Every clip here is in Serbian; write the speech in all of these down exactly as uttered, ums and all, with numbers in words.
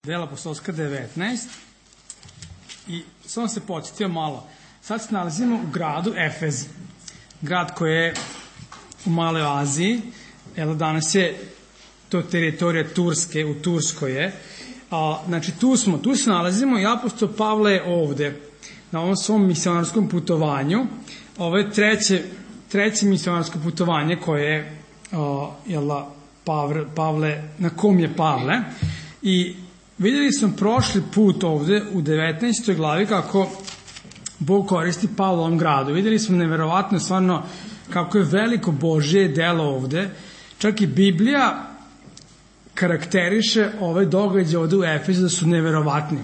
Dela apostolska devetnaest i samo se podsjetio malo. Sad se nalazimo u gradu Efez, grad koji je u Maloj Aziji. Evo danas je to teritorija Turske, u Turskoj je. A, znači tu smo, tu se nalazimo i apostol Pavle je ovde na ovom svom misionarskom putovanju. Ovo je treće, treće misionarsko putovanje koje je a, jela, Pavle, Pavle, na kom je Pavle. I vidjeli smo prošli put ovde u devetnaestoj glavi kako Bog koristi Pavla u ovom gradu. Vidjeli smo neverovatno stvarno kako je veliko Božje delo ovde. Čak i Biblija karakteriše ove događaje ovde u Efezu da su neverovatni.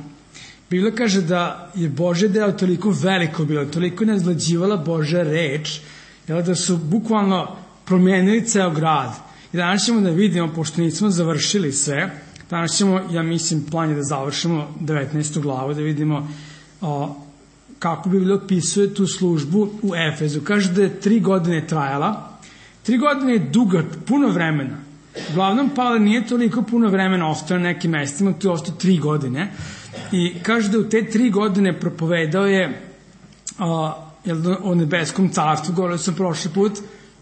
Biblija kaže da je Božje delo toliko veliko bilo, toliko je nazlađivala Božja reč, da su bukvalno promijenili ceo grad. I danas ćemo da vidimo, pošto nismo završili sve, danas ćemo, ja mislim, plan je da završimo devetnaestu glavu, da vidimo o, kako Biblija opisuje tu službu u Efezu. Kaže da je tri godine trajala. Tri godine je duga, puno vremena. Uglavnom, Pavle nije toliko puno vremena ostao na nekim mestima, tu je ostao tri godine. I kaže da u te tri godine propovedao je o, jel, o nebeskom carstvu. Govorio sam prošli put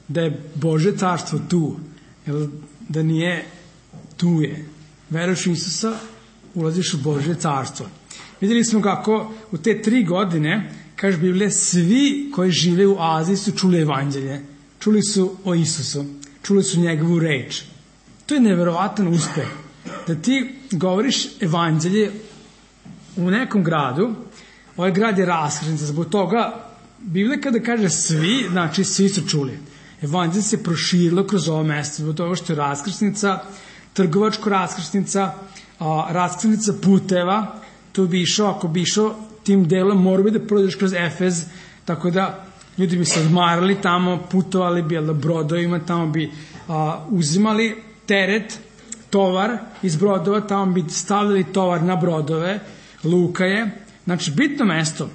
da je Božje carstvo tu, jel, da nije tu je. Veruješ u Isusa, ulaziš u Božje carstvo. Vidjeli smo kako u te tri godine, kaže Biblija, svi koji žive u Aziji su čuli evanđelje. Čuli su o Isusu. Čuli su njegovu reč. To je neverovatan uspeh. Da ti govoriš evanđelje u nekom gradu, ovaj grad je raskrsnica. Zbog toga, Biblija kada kaže svi, znači svi su čuli. Evanđelje se proširilo kroz ovo mesto, zbog toga što je raskrsnica, trgovačko raskrsnica, raskrsnica puteva. Tu bi išao, ako bi išao tim delom, mora bi da prođeš kroz Efez, tako da ljudi bi se odmarali tamo, putovali bi na brodovima, tamo bi a, uzimali teret, tovar iz brodova, tamo bi stavljali tovar na brodove, luka je. Znači, bitno mesto,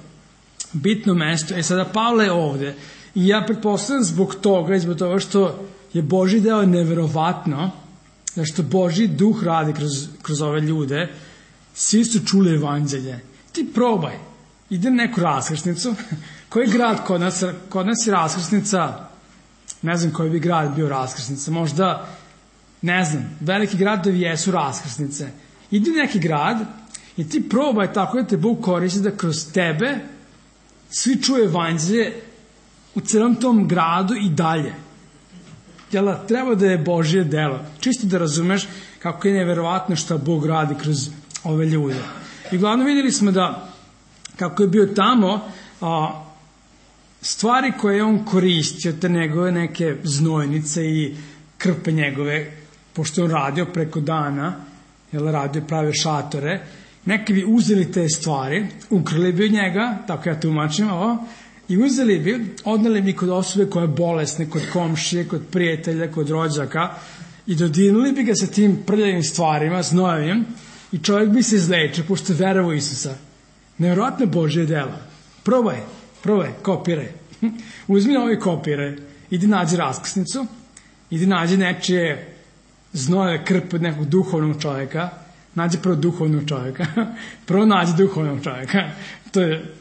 bitno mesto. E sada, Pavle je ovde i ja pretpostavljam zbog toga, zbog toga što je Božji deo neverovatno, da što Božji duh radi kroz, kroz ove ljude, svi su čuli evanđelje. Ti probaj, idem neku raskrsnicu, koji grad kod nas, kod nas je raskrsnica, ne znam koji bi grad bio raskrsnica, možda, ne znam, veliki gradovi jesu raskrsnice. Idi u neki grad i ti probaj tako da te Bog koristi da kroz tebe svi čuje evanđelje u celom tom gradu i dalje. Jel, treba da je Božje delo. Čisto da razumeš kako je neverovatno što Bog radi kroz ove ljude. I glavno vidjeli smo da kako je bio tamo, a, stvari koje je on koristio, te njegove neke znojnice i krpe njegove, pošto je on radio preko dana, jel, radio prave šatore, neki bi uzeli te stvari, ukrali bi od njega, tako ja tumačim ovo, i uzeli bi, odneli bi kod osobe koja je bolesna, kod komšije, kod prijatelja, kod rođaka i dodirnuli bi ga sa tim prljavim stvarima, znojevim, i čovjek bi se izlečio, pošto je verovao Isusa. Nevjerojatno Božje delo. Probaj, probaj, kopiraj. Uzmi ovaj kopiraj, idi nađi raskrsnicu, idi nađi nečije znojeve krpe od nekog duhovnog čovjeka, nađi prvo duhovnog čovjeka, prvo nađi duhovnog čovjeka, to je,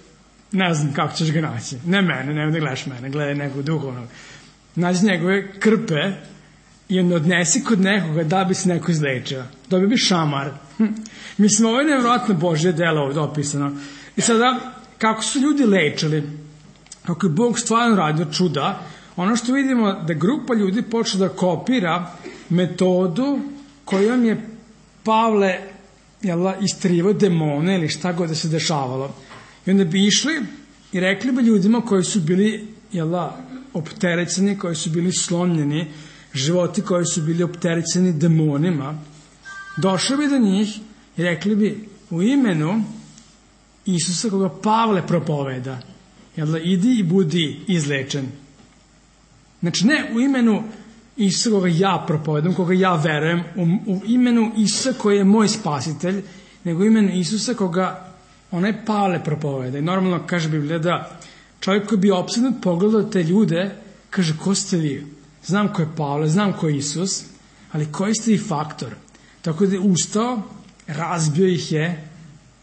ne znam kako ćeš ga naći, ne mene, ne, ne gledaš mene, gledaj nekog duhovnog. Nađi njegove krpe i onda odnesi kod nekoga da bi se neko izlečio. Dobio bi šamar. Mislim, ovo je nevjerojatno Božje delo ovdje opisano. I sada, kako su ljudi lečili, kako je Bog stvarno radio čuda, ono što vidimo da grupa ljudi počela da kopira metodu kojom je Pavle jela, istrivao demone ili šta god da se dešavalo. I onda bi išli i rekli bi ljudima koji su bili jela, opterećeni, koji su bili slomljeni, životi koji su bili opterećeni demonima, došli bi do njih i rekli bi u imenu Isusa koga Pavle propoveda, jel, idi i budi izlečen. Znači ne u imenu Isusa koga ja propovedam, koga ja verujem, u, u imenu Isusa koji je moj spasitelj, nego u imenu Isusa koga onaj Pavle propoveda. I normalno kaže Biblija da čovjek koji bi opsednut pogledao te ljude, kaže, ko ste vi? Znam ko je Pavle, znam ko je Isus, ali koji ste vi faktor? Tako da je ustao, razbio ih je,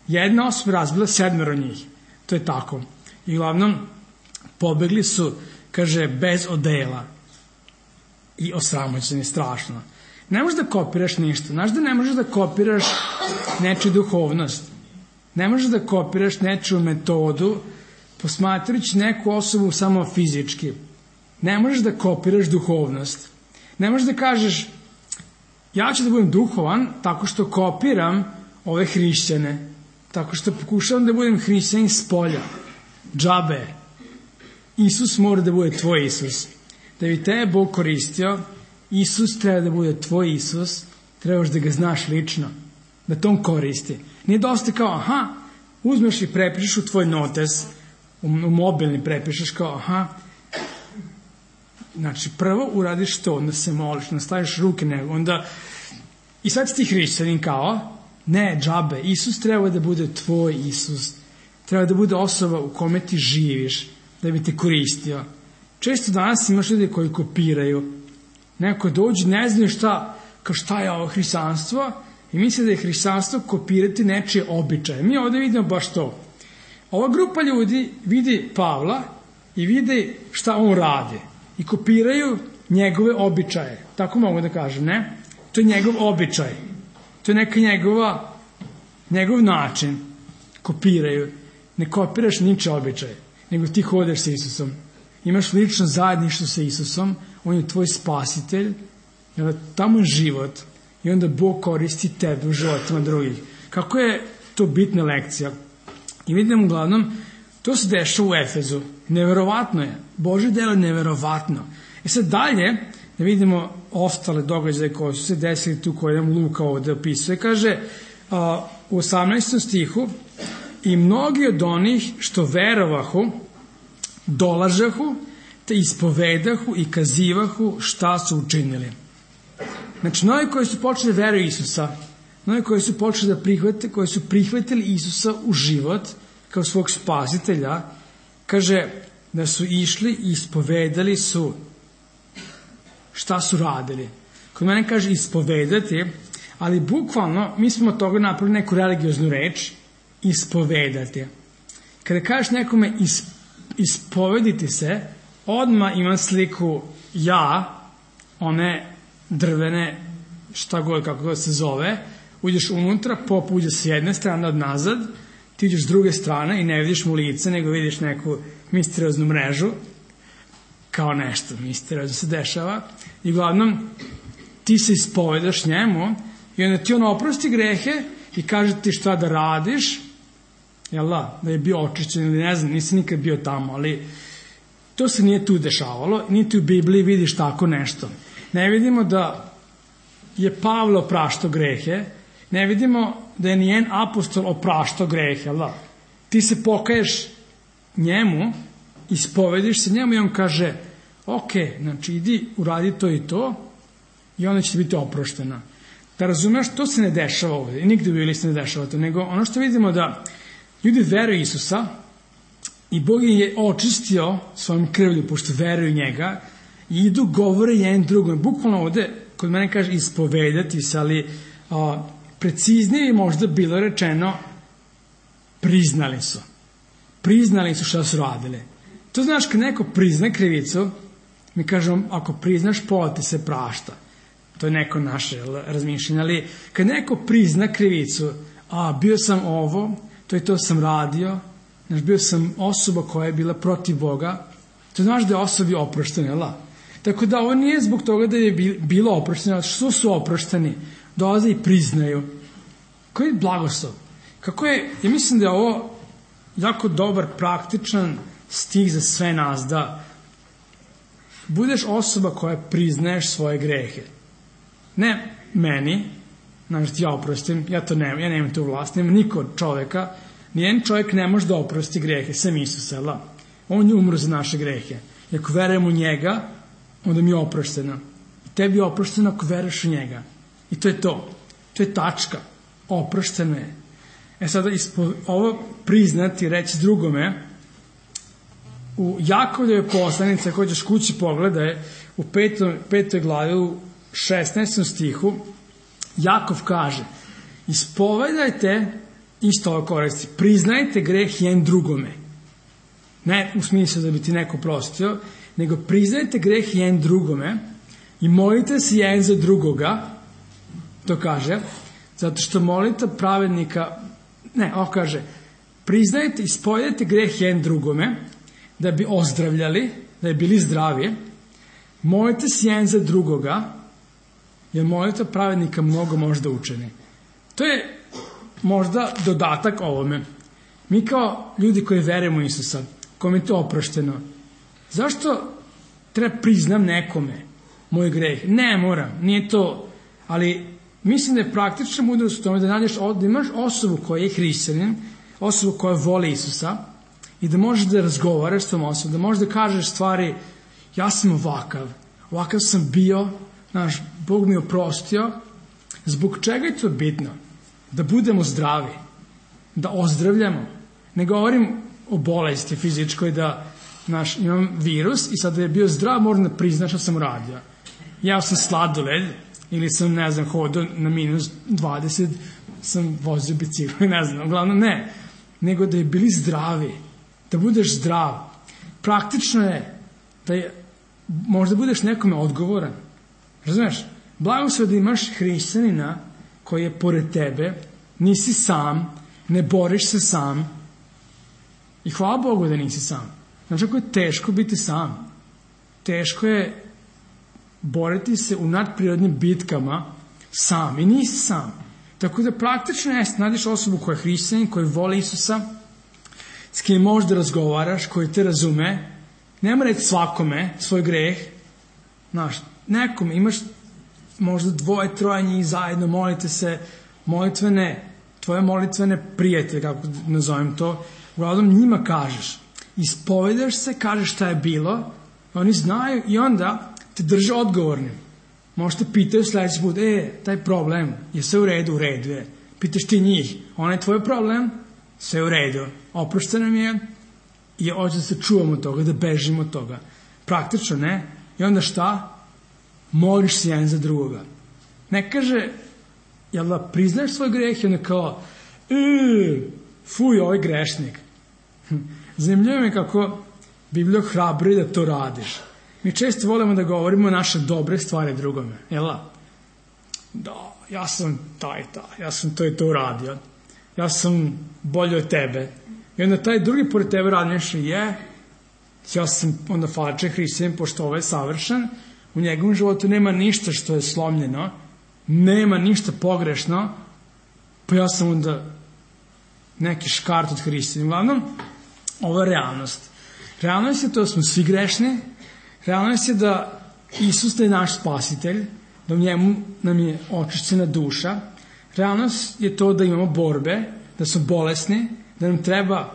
jedna osoba razbila sedmero njih. To je tako. I uglavnom, pobegli su, kaže, bez odela i osramoćeni strašno. Ne možeš da kopiraš ništa. Znaš da ne možeš da kopiraš nečiju duhovnost. Ne možeš da kopiraš nečiju metodu posmatrajući neku osobu samo fizički. Ne možeš da kopiraš duhovnost. Ne možeš da kažeš ja ću da budem duhovan tako što kopiram ove hrišćane, tako što pokušavam da budem hrišćanin s polja. Džabe. Isus mora da bude tvoj Isus. Da bi te Bog koristio, Isus treba da bude tvoj Isus, trebaš da ga znaš lično, da to on koristi. Nije dosta kao, aha, uzmeš i prepišeš u tvoj notes, u, u mobilni prepišeš kao, aha, znači prvo uradiš to, onda se moliš, onda staviš ruke nego, onda, i sad si ti hrišćanin kao, ne, džabe, Isus treba da bude tvoj Isus, treba da bude osoba u kome ti živiš, da bi te koristio. Često danas imaš ljudi koji kopiraju, neko dođe, ne znaju šta, kao šta je ovo hrišćanstvo, i misle da je hrišćanstvo kopirati nečije običaje. Mi ovdje vidimo baš to. Ova grupa ljudi vidi Pavla i vidi šta on radi i kopiraju njegove običaje. Tako mogu da kažem, ne? To je njegov običaj. To je neka njegova, njegov način. Kopiraju. Ne kopiraš niče običaje, nego ti hodeš sa Isusom. Imaš lično zajedništvo sa Isusom, on je tvoj spasitelj, tamo je život i onda Bog koristi tebe u životima drugih. Kako je to bitna lekcija? I vidim uglavnom, to se dešava u Efezu. Neverovatno je. Božje delo je neverovatno. E sad dalje, da vidimo ostale događaje koje su se desili tu, koje nam Luka ovde opisuje. Kaže a, u osamnaestom stihu, i mnogi od onih što verovahu, dolažahu, te ispovedahu i kazivahu šta su učinili. Znači, mnogi koji su počeli da veruju Isusa, mnogi koji su počeli da prihvate, koji su prihvatili Isusa u život kao svog spasitelja, kaže da su išli i ispovedali su šta su radili. Kod mene kaže ispovedati, ali bukvalno mi smo od toga napravili neku religioznu reč, ispovedati. Kada kažeš nekome is, ispovediti se, odmah imam sliku ja, one drvene, šta god, kako god se zove, uđeš unutra, pop uđe s jedne strane od nazad, ti uđeš s druge strane i ne vidiš mu lice, nego vidiš neku misterioznu mrežu, kao nešto misteriozno se dešava, i uglavnom ti se ispovedaš njemu i onda ti on oprosti grehe i kaže ti šta da radiš, jel da, da je bio očišćen ili ne znam, nisam nikad bio tamo, ali to se nije tu dešavalo, niti u Bibliji vidiš tako nešto. Ne vidimo da je Pavle opraštao grehe, ne vidimo da je nijen apostol opraštao grehe, jel da? Ti se pokaješ njemu, ispovediš se njemu i on kaže, ok, znači idi, uradi to i to i onda će biti oproštena. Da razumeš, to se ne dešava ovdje i nigde u Bibliji se ne dešava to, nego ono što vidimo da ljudi veruju Isusa i Bog je očistio svojom krvlju, pošto veruju njega, i idu, govore jedan drugom. Bukvalno ovde, kod mene kaže ispovedati se, ali a, preciznije je možda bilo rečeno priznali su. Priznali su šta su radili. To znaš, kad neko prizna krivicu, mi kažemo, ako priznaš, pola ti se prašta. To je neko naše razmišljanje, ali kad neko prizna krivicu, a bio sam ovo, to i to sam radio, znaš, bio sam osoba koja je bila protiv Boga, to znaš da je osobi oproštena, jel? Tako da ovo nije zbog toga da je bilo oprošteno, što su oprošteni, dolaze i priznaju. Koji je blagoslov? Kako je, ja mislim da je ovo jako dobar, praktičan stih za sve nas, da budeš osoba koja priznaješ svoje grehe. Ne meni, znaš, ja oprostim, ja to nemam, ja nemam tu vlast, nemam niko od čoveka, nijedan čovjek ne može da oprosti grehe, sem Isusa, jel? On je umro za naše grehe. I ako verujem u njega, onda mi je oprošteno. Tebi je oprošteno ako veruješ u njega. I to je to. To je tačka. Oprošteno je. E sada, ispo, ovo priznati, reći drugome, u Jakovljevoj poslanici, ako ćeš kući pogledaj, u petoj, petoj glavi, u šesnaestom stihu, Jakov kaže, ispovedajte, isto ovo koristi, priznajte greh jedan drugome. Ne u smislu da bi ti neko prostio, nego priznajte greh jedan drugome i molite se jedan za drugoga, to kaže, zato što molite pravednika, ne, ovo kaže, priznajte i spovedajte greh jedan drugome, da bi ozdravljali, da bi bili zdravi, molite se jedan za drugoga, jer molite pravednika mnogo možda učini. To je možda dodatak ovome. Mi kao ljudi koji verujemo u Isusa, kome je to oprošteno, zašto treba priznam nekome moj greh? Ne moram, nije to, ali mislim da je praktična mudrost u tome da nađeš, da imaš osobu koja je hrišćanin, osobu koja voli Isusa i da možeš da razgovaraš s tom osobom, da možeš da kažeš stvari, ja sam ovakav, ovakav sam bio, znaš, Bog mi je oprostio. Zbog čega je to bitno? Da budemo zdravi, da ozdravljamo. Ne govorim o bolesti fizičkoj, da znaš, imam virus i sad da je bio zdrav, moram da priznaš što sam uradio. Jeo sam sladoled ili sam, ne znam, hodao na minus dvadeset, sam vozio bicikl, ne znam, uglavnom ne. Nego da je bili zdravi, da budeš zdrav. Praktično je da je, možda budeš nekome odgovoran. Razumeš? Blagoslov da imaš hrišćanina koji je pored tebe, nisi sam, ne boriš se sam i hvala Bogu da nisi sam. Znači ako je teško biti sam, teško je boriti se u nadprirodnim bitkama sam i nisi sam. Tako da praktično jeste, nađeš osobu koja je hrišćanin, koja voli Isusa, s kim možeš da razgovaraš, koji te razume, nema reći svakome svoj greh, znaš, nekome, imaš možda dvoje, troje njih zajedno, molite se, molitvene, tvoje molitvene prijatelje, kako nazovem to, uglavnom njima kažeš, ispovedaš se, kažeš šta je bilo, oni znaju i onda te drže odgovornim. Možete pitaju sljedeći put, e, taj problem, je sve u redu, u redu je. Pitaš ti njih, onaj je tvoj problem, sve u redu, oprošteno nam je i hoće da se čuvamo od toga, da bežimo od toga. Praktično ne. I onda šta? Moliš se jedan za drugoga. Ne kaže, jel da priznaš svoj greh i onda kao, e, fuj, ovaj grešnik. Zanimljivo je kako Biblija hrabri da to radiš. Mi često volimo da govorimo naše dobre stvari drugome. Jel da? Da, ja sam taj, taj, ja sam to i to uradio. Ja sam bolji od tebe. I onda taj drugi pored tebe radi nešto je, ja sam onda falče hrišćanin, pošto ovaj je savršen, u njegovom životu nema ništa što je slomljeno, nema ništa pogrešno, pa ja sam onda neki škart od hrišćanin. Uglavnom, ovo je realnost. Realnost je to da smo svi grešni, realnost je da Isus je naš spasitelj, da u njemu nam je očišćena duša, realnost je to da imamo borbe, da smo bolesni, da nam treba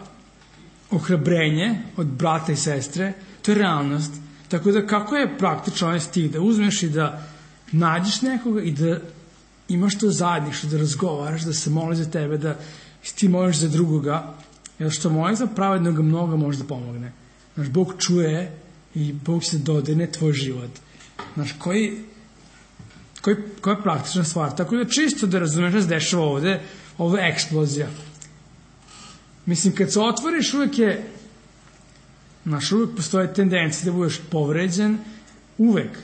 ohrabrenje od brata i sestre, to je realnost. Tako da kako je praktično ovaj stih, da uzmeš i da nađeš nekoga i da imaš to zajedništvo, da razgovaraš, da se moli za tebe, da ti moliš za drugoga, jer što moli za pravednoga mnogo može da pomogne. Znaš, Bog čuje i Bog se dodirne tvoj život. Znaš, koji, koji, koja je praktična stvar. Tako da čisto da razumeš da se dešava ovde, ovo je eksplozija. Mislim, kad se otvoriš, uvek je, znaš, uvek postoje tendencije da budeš povređen, uvek.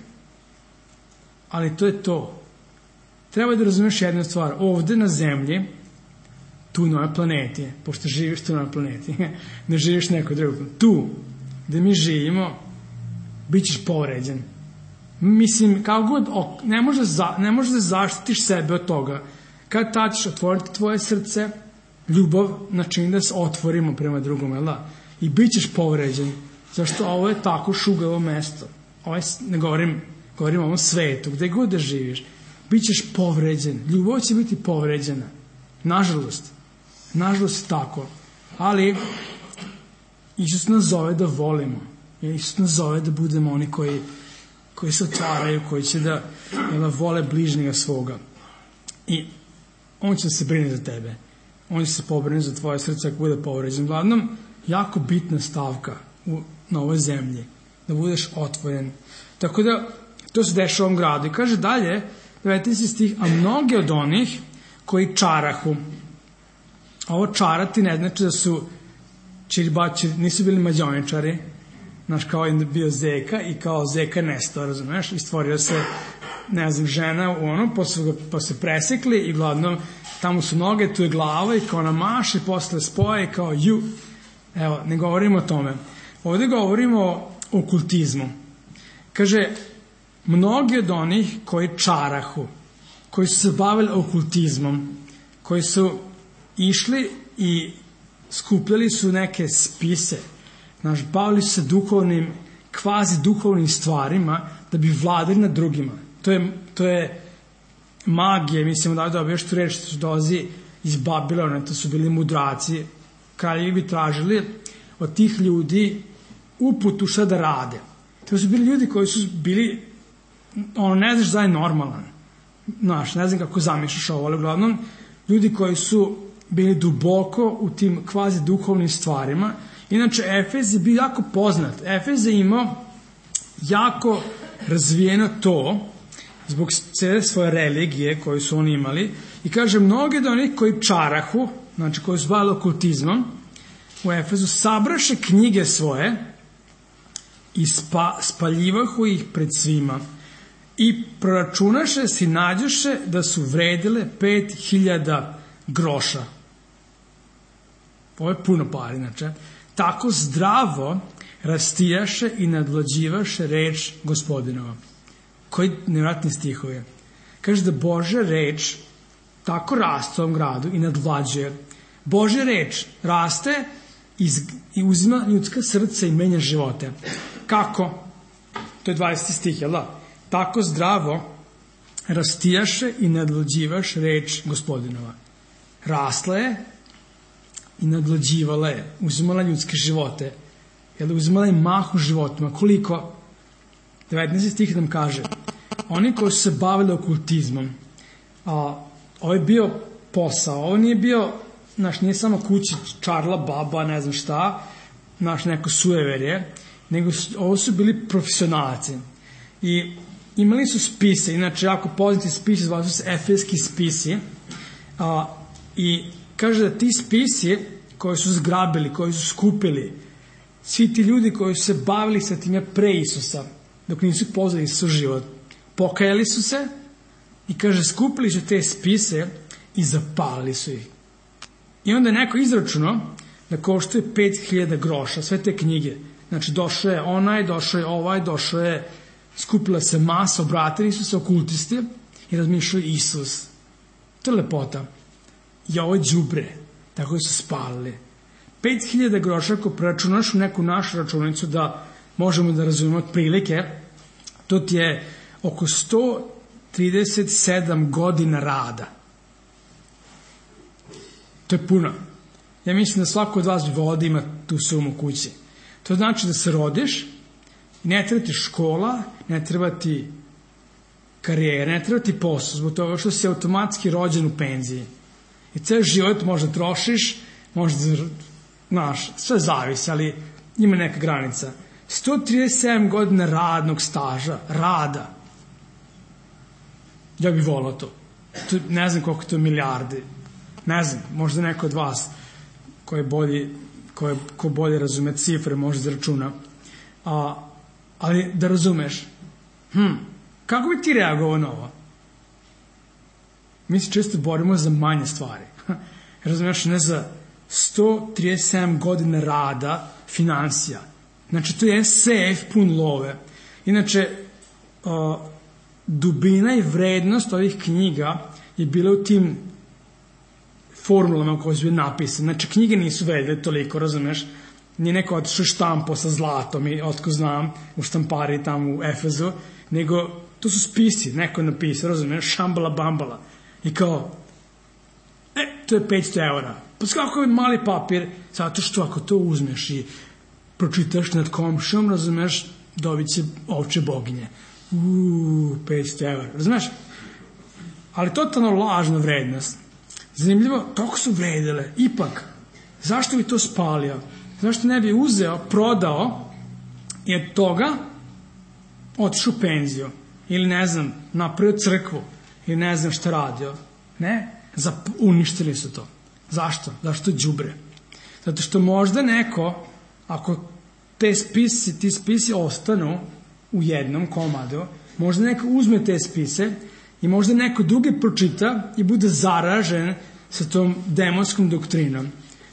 Ali to je to. Treba da razumeš jednu stvar. Ovde na zemlji, tu na ovoj planeti, pošto živiš tu na ovoj planeti, ne živiš neko drugo, tu, gde mi živimo, bit ćeš povređen. Mislim, kao god, ne možeš za, ne možeš da zaštitiš sebe od toga. Kad tad ćeš otvoriti tvoje srce, ljubav načini da se otvorimo prema drugom, jel da? I bit ćeš povređen. Zašto ovo je tako šugavo mesto? Ovo je, ne govorim, govorim o ovom svetu, gde god da živiš. Bit ćeš povređen. Ljubav će biti povređena. Nažalost. Nažalost tako. Ali Isus nas zove da volimo. Isus nas zove da budemo oni koji, koji se otvaraju, koji će da, da vole bližnjega svoga. I on će da se brine za tebe. On će se pobrine za tvoje srce ako bude povređen. Glavnom, jako bitna stavka u, na ovoj zemlji. Da budeš otvoren. Tako da, to se dešava u ovom gradu. I kaže dalje, devetnaesti stih, a mnogi od onih koji čarahu. A ovo čarati ne znači da su čiribači, nisu bili mađoničari, znaš, kao je bio Zeka i kao Zeka nestao, razumeš, i stvorio se, ne znam, žena u ono, pa su, pa se presekli i gladno, tamo su noge, tu je glava i kao namaše, posle spoje i kao ju. Evo, ne govorimo o tome. Ovde govorimo o okultizmu. Kaže, mnogi od onih koji čarahu, koji su se bavili okultizmom, koji su išli i skupljali su neke spise, znaš, bavili su se duhovnim, kvazi duhovnim stvarima da bi vladali nad drugima. To je, to je magija, mislim da da još tu reč što dolazi iz Babilona, to su bili mudraci, kraljevi bi tražili od tih ljudi uputu šta da rade. To su bili ljudi koji su bili, ono, ne znaš da je normalan, znaš, ne znam kako zamišljaš ovo, ali uglavnom, ljudi koji su bili duboko u tim kvazi duhovnim stvarima. Inače, Efez je bio jako poznat. Efez je imao jako razvijeno to, zbog cele svoje religije koju su oni imali, i kaže, mnogi od onih koji čarahu, znači koji su bavili okultizmom, u Efezu sabraše knjige svoje i spa, spaljivahu ih pred svima i proračunaše si nađoše da su vredile pet hiljada groša. Ovo je puno pari, znači. Tako zdravo rastijaše i nadvlađivaše reč Gospodinova. Koji nevratni stihove. Kaže da Božja reč tako raste u ovom gradu i nadvlađuje. Božja reč raste iz, i uzima ljudska srca i menja živote. Kako? To je dvadeseti stih, jel da? Tako zdravo rastijaše i nadvlađivaš reč Gospodinova. Rasla je i nadvlađivala je, uzimala ljudske živote, jel, uzimala je mahu životima. Koliko? devetnaesti stih nam kaže, oni koji su se bavili okultizmom, a ovo je bio posao, ovo nije bio, znaš, nije samo kući čarla, baba, ne znam šta, znaš, neko sueverje, nego su, ovo su bili profesionalci. I imali su spise, inače jako poznati spisi, zvali su se efeski spisi, a, i kaže da ti spisi koji su zgrabili, koji su skupili, svi ti ljudi koji su se bavili sa time pre Isusa, dok nisu poznali Isus život, pokajali su se i kaže skupili su te spise i zapalili su ih. I onda je neko izračunao da koštuje pet hiljada groša, sve te knjige. Znači došao je onaj, došao je ovaj, došao je, skupila se masa, obratili su se okultisti i razmišljaju Isus. To je lepota. I ovo je đubre, tako su spalili. pet hiljada groša, ako preračunaš u neku našu računicu da možemo da razumemo otprilike, to ti je oko sto trideset sedam godina rada. To je puno. Ja mislim da svako od vas bi volao da ima tu sumu kući. To znači da se rodiš, ne treba ti škola, ne treba ti karijera, ne treba ti posao, zbog toga što si automatski rođen u penziji. I ceo život možda trošiš, možda, znaš, sve zavisi, ali ima neka granica. sto trideset sedam godina radnog staža, rada. Ja bih volao to. to. Ne znam koliko to je milijardi. Ne znam, možda neko od vas ko je bolji, ko, je, ko bolje razume cifre, može da računa. A, ali da razumeš, hm, kako bi ti reagovao na ovo? Mi se često borimo za manje stvari. Razumeš, ne za sto trideset sedam godina rada, finansija. Znači, to je sef pun love. Inače, uh, dubina i vrednost ovih knjiga je bila u tim formulama koje su bile napisane. Znači, knjige nisu vredile toliko, razumeš? Nije neko otišao štampo sa zlatom i otko znam u štampari tamo u Efezu, nego to su spisi, neko je napisao, razumeš, šambala bambala. I kao, e, to je petsto eura. Pa kako je mali papir, zato što ako to uzmeš i pročitaš nad komšom, razumeš, dobit će ovče boginje. Uuu, petsto eura, razumeš? Ali totalno lažna vrednost. Zanimljivo, toliko su vredile. Ipak, zašto bi to spalio? Zašto ne bi uzeo, prodao i od toga otišao u penziju? Ili ne znam, napravio crkvu? Ili ne znam šta radio? Ne? Zap, uništili su to. Zašto? Zašto đubre? Zato što možda neko, ako te spisi, ti spisi ostanu u jednom komadu, možda neko uzme te spise i možda neko drugi pročita i bude zaražen sa tom demonskom doktrinom.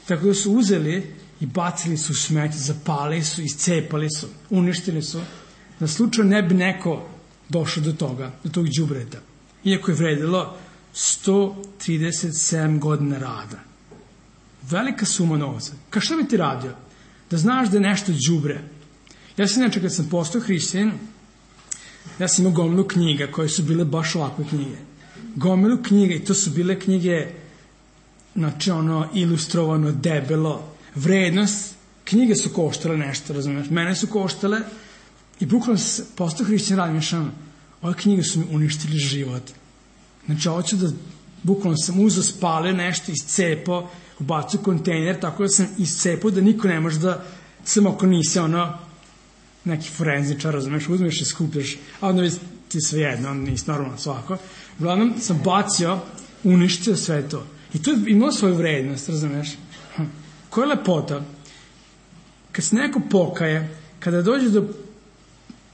Tako da su uzeli i bacili su smeće, zapali su, iscepali su, uništili su, da slučajno ne bi neko došao do toga, do tog đubreta. Iako je vredilo sto trideset sedam godina rada. Velika suma novca. Ka šta bi ti radio? Da znaš da je nešto đubre. Ja sam inače kad sam postao hrišćanin, ja sam imao gomilu knjiga koje su bile baš ovakve knjige. Gomilu knjiga i to su bile knjige, znači ono ilustrovano, debelo, vrednost. Knjige su koštale nešto, razumiješ? Mene su koštale i bukvalno sam postao hrišćanin, radim šano. Ove knjige su mi uništili život. Znači ovo ću da, bukvalno sam uzeo, spalio nešto, iscepao, ubacio kontejner, tako da sam iscepao da niko ne može da, samo ako nisi ono, neki forenzičar, razumeš, uzmeš i skupljaš, a onda ti sve jedno, onda nisi normalno svako. Uglavnom sam bacio, uništio sve to. I to je imalo svoju vrednost, razumeš. Hm. Koja je lepota? Kad se neko pokaje, kada dođe do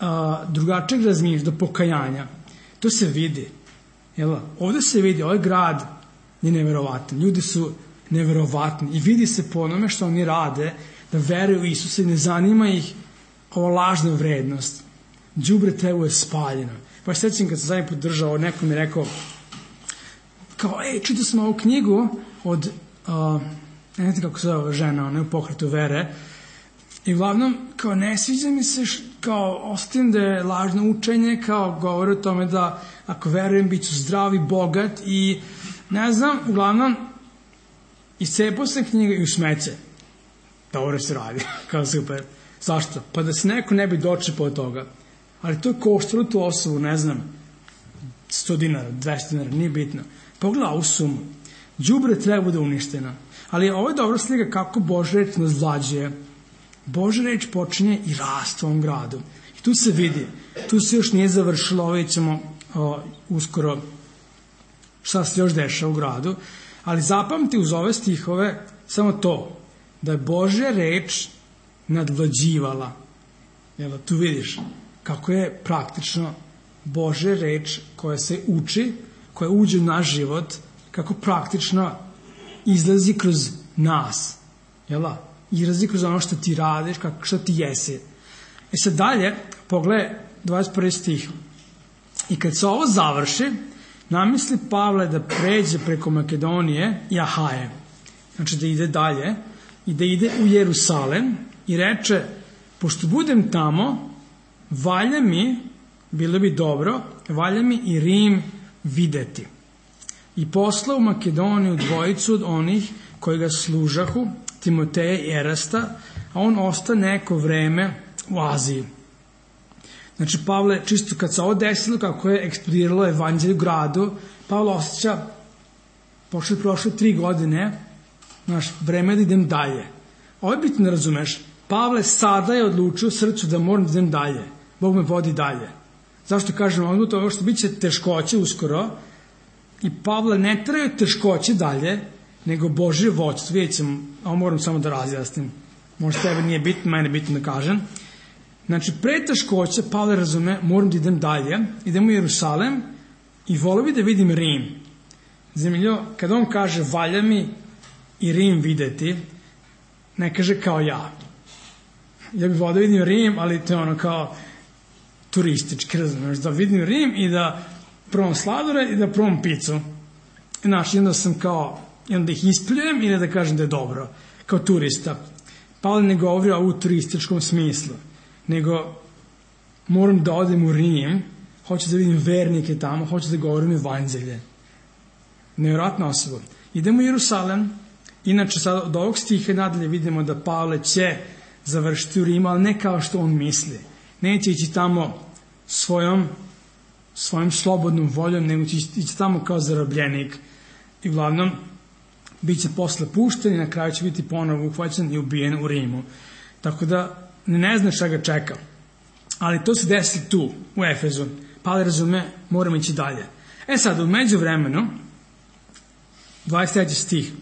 a, drugačijeg razmišljanja, do pokajanja, to se vidi. Jel? Ovdje se vidi, ovaj grad je neverovatan. Ljudi su neverovatni i vidi se po onome što oni rade, da veruju u Isusa i ne zanima ih ova lažna vrednost. Đubre telo je spaljeno. Pa se sjećam kad sam zadnji put držao, neko mi je rekao, kao, ej, čitao sam ovu knjigu od, uh, ne znate kako se zove žena, ona je u pokretu vere, i uglavnom, kao, ne sviđa mi se, š, kao, ostavim da je lažno učenje, kao, govori o tome da, ako verujem, bit ću zdrav i bogat i, ne znam, uglavnom, iscepao sam knjiga i u smeće. Dobro se radi, kao super. Zašto? Pa da se neko ne bi dočepao od toga. Ali to je koštalo tu osobu, ne znam, sto dinara, dvesta dinara, nije bitno. Pogledaj ovu sumu. Đubre treba bude uništena. Ali ovo je dobra slika kako Božja reč nas vlađuje. Božja reč počinje i raste u ovom gradu. I tu se vidi. Tu se još nije završilo, ovo ćemo o, uskoro šta se još dešava u gradu. Ali zapamti uz ove stihove samo to, da je Božja reč nadvlađivala. Jel, tu vidiš kako je praktično Božja reč koja se uči, koja uđe u naš život, kako praktično izlazi kroz nas. Jel, izlazi kroz ono što ti radiš, kako, što ti jesi. I sad dalje, pogledaj dvadeset prvi stih. I kad se ovo završi, namisli Pavle da pređe preko Makedonije i Ahaje. Znači da ide dalje i da ide u Jerusalem i reče, pošto budem tamo, valja mi, bilo bi dobro, valja mi i Rim videti. I poslao u Makedoniju dvojicu od onih koji ga služahu, Timoteja i Erasta, a on osta neko vreme u Aziji. Znači, Pavle, čisto kad se ovo desilo, kako je eksplodiralo evanđelje u gradu, Pavle osjeća, pošto je prošle tri godine, znaš, vreme da idem dalje. Ovo je bitno da razumeš. Pavle sada je odlučio u srcu da moram da idem dalje. Bog me vodi dalje. Zašto kažem odmah to? Ovo što bit će teškoće uskoro. I Pavle ne traju teškoće dalje, nego Božje vođstvo. Vidjet ćemo, ovo moram samo da razjasnim. Možda tebe nije bitno, mene je bitno da kažem. Znači, pre teškoće Pavle razume, moram da idem dalje, idem u Jerusalem i volio bi da vidim Rim. Zanimljivo, kada on kaže valja mi i Rim videti, ne kaže kao ja. Ja bih volio da vidim Rim, ali to je ono kao turistički, razumiješ, da vidim Rim i da provam sladore i da provam picu. Znaš, onda sam kao, onda ih ispljujem ili da kažem da je dobro, kao turista. Pavle ne govori o u turističkom smislu, nego moram da odem u Rim, hoću da vidim vernike tamo, hoću da govorim evanđelje. Nevjerojatna osoba. Idemo u Jerusalem, inače sad od ovog stiha nadalje vidimo da Pavle će završiti u Rimu, ali ne kao što on misli. Neće ići tamo svojom, svojom slobodnom voljom, nego će ići tamo kao zarobljenik. I uglavnom, bit će posle pušten i na kraju će biti ponovo uhvaćen i ubijen u Rimu. Tako da ne znaš šta ga čeka. Ali to se desi tu, u Efezu. Pavle razume, moramo ići dalje. E sad, u međuvremenu, dvadeset treći stih.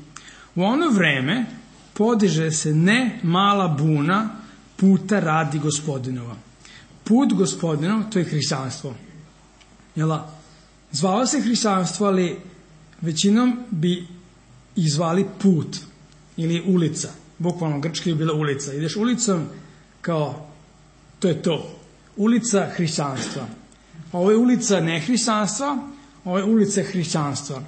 U ono vreme podiže se ne mala buna puta radi Gospodinova. Put Gospodinov, to je hrišćanstvo. Jela? Zvalo se hrišćanstvo, ali većinom bi ih zvali put ili ulica. Bukvalno grčki je bila ulica. Ideš ulicom kao, to je to. Ulica hrišćanstva. Ovo je ulica nehrišćanstva, ovo je ulica hrišćanstva.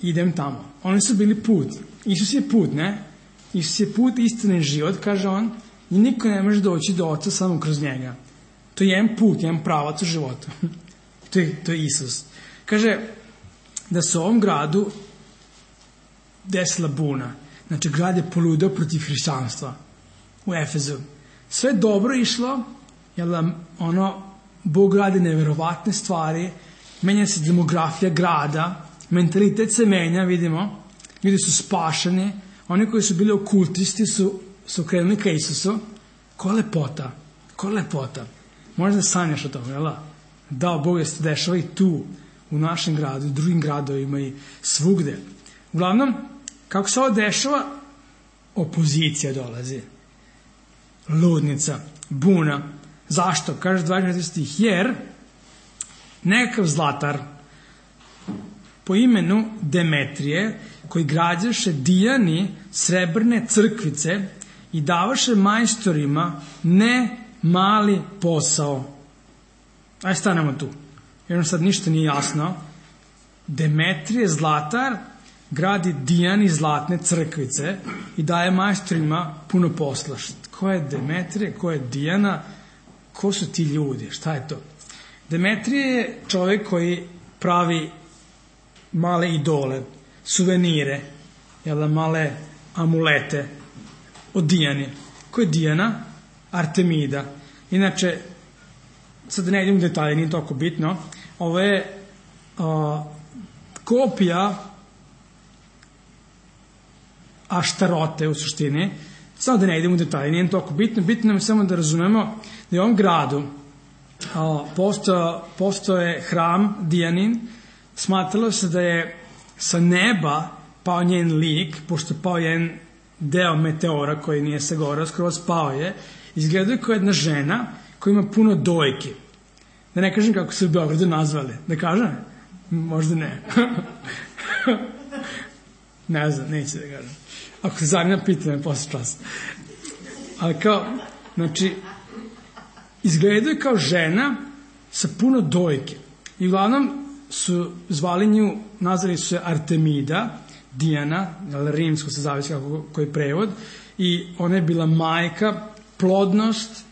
Idem tamo. Oni su bili put. Isus je put, ne? Isus je put, istina i život, kaže on, i niko ne može doći do Oca samo kroz njega. To je jedan put, jedan pravac u životu. to, je, to je Isus. Kaže da se u ovom gradu desila buna. Znači, grad je poludeo protiv hrišćanstva u Efezu. Sve je dobro išlo, jer ono, Bog radi neverovatne stvari, menja se demografija grada, mentalitet se menja, vidimo, ljudi su spašeni, oni koji su bili okultisti su, su krenuli ka Isusu. Ko lepota, ko lepota. Možda sanjaš o tome, jel da? Da, Bog je se dešava i tu, u našem gradu, i drugim gradovima i svugde. Uglavnom, kako se ovo dešava, opozicija dolazi. Ludnica, buna. Zašto? Kaže dvadeset četvrti stih. Jer nekakav zlatar po imenu Demetrije, koji građaše dijani srebrne crkvice i davaše majstorima ne mali posao. Ajde stanemo tu. Jer sad ništa nije jasno. Demetrije, zlatar, gradi dijani zlatne crkvice i daje majstorima puno posla. Ko je Demetrije, ko je Dijana, ko su ti ljudi, šta je to? Demetrije je čovjek koji pravi male idole, suvenire, jel, male amulete od Dijane. Ko je Dijana? Artemida. Inače, sad ne idem u detalje, nije toliko bitno, ovo je a, kopija Aštarote u suštini. Samo da ne idem u detalje, nije toliko bitno, bitno nam je samo da razumemo da je u ovom gradu a, posto, posto je hram Dijanin. Smatralo se da je sa neba pao njen lik, pošto pao jedan deo meteora koji nije se gorao, skroz pao je. Izgledaju kao jedna žena koja ima puno dojki. Da ne kažem kako se u Beogradu nazvali. Da kažem? Možda ne. Ne znam, neće da kažem. Ako se zanima, pita me posle časa. Ali kao, znači, izgledaju kao žena sa puno dojke. I uglavnom su zvali nju, nazvali su se Artemida, Dijana, rimsko se zavisi kako koji prevod, i ona je bila majka, plodnost,